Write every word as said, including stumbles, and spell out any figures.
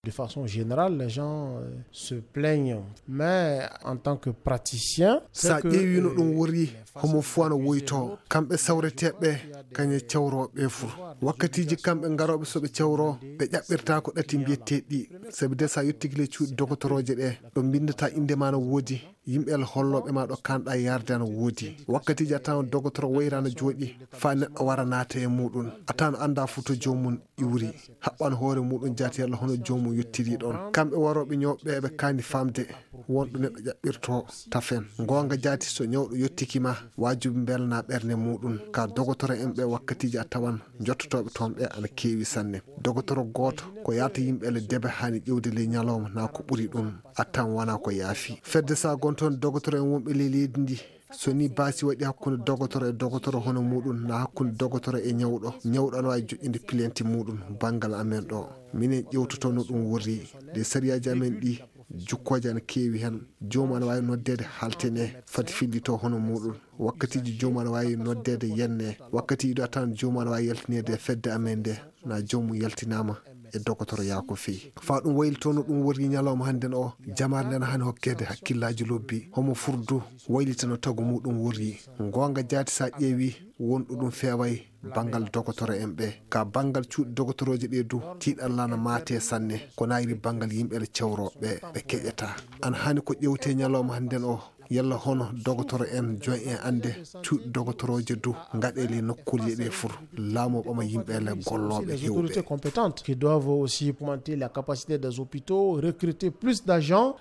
De façon générale, les gens euh, se plaignent. Mais en tant que praticien, sa ƴeewi no ɗum worri, homo fof no woyto. Kamɓe sawreteeɓe kañe cawrooɓe fof, wakkatiiji kamɓe ngarooɓe so ɓe cawro, ɓe ƴaɓɓirta ko ɗati mbiyeteeɗi ɗi. Sabi de sa yettiki le cuuɗi dogotorooje ɗe, ɗo mbinndata innde ma no woodi. Yimɓe Allah hollooɓe ma ɗo kanɗa yarde ana woodi. Wakkatiiji a tawan dogotoro wayra no jooɗi, faa neɗɗo wara naata e muuɗum. A tawan annda foto joomum iwri. Haɓɓan hoore muuɗum jaati yalla hono joomum yottiri ɗoon. Kamɓe warooɓe ñawɓe ɓe kaani faamde won ɗo neɗɗo ƴaɓɓirto tafen. Ngoonga jaati so ñawɗo yottiki ma, waajibi mbelna ɓernde muuɗum. Ka dogotoro en ɓe wakkatiiji a tawan njottotooɓe toon ɓe ana keewi sanne. Dogotoro gooto ko yaata yimɓe le debe haani ƴewde ley ñalawma na ko ɓuri ɗum. A tan wona ko yaafi. Fedde sa gon toon dogotoro en wonɓe ley leydi ndi. So ni baasi waɗi hakkunde dogotoro e dogotoro hono muuɗum na hakkunde dogotoro e ñawɗo. Ñawɗo ana waawi joƴƴinde pilenti muuɗum banngal amen ɗo. Minen ƴewtoto no ɗum worri. Ɗe sariyaaji amen ɗi jukkooje ana keewi heen. Joomum ana waawi noddeede haltene fati fillito hono muuɗum. Wakkatiiji joomum ana waawi noddeede yenne. Wakkatiiji ɗo a tawan joomum ana waawi yaltineede e fedde amen nde. Na joomum yaltinaama e dogotoro yaa ko feyi. Faa ɗum waylitoo no ɗum worri ñalawma hannden o, jamaare nden haani hokkeede hakkillaaji lobbi. Homo furdu waylita no tagu muuɗum worri. Ngoonga jaati sa ƴeewi won ɗo ɗum feeway banngal dogotoro en ɓe. Ka banngal cuuɗi dogotorooje ɗe du, tiiɗalla na maate sanne. Ko nayri banngal yimɓe le cewrooɓe ɓe keƴata. An haani ko ƴewte ñalawma hannden o, yalla hono dogotoro en joy en annde cuuɗi dogotorooje du ngaɗe le nokkuuje ɗe fur. Laamu ɓama yimɓe le gollooɓe Les autorités heewɓe. Compétentes qui doivent aussi augmenter la capacité des hôpitaux, recruter plus d'agents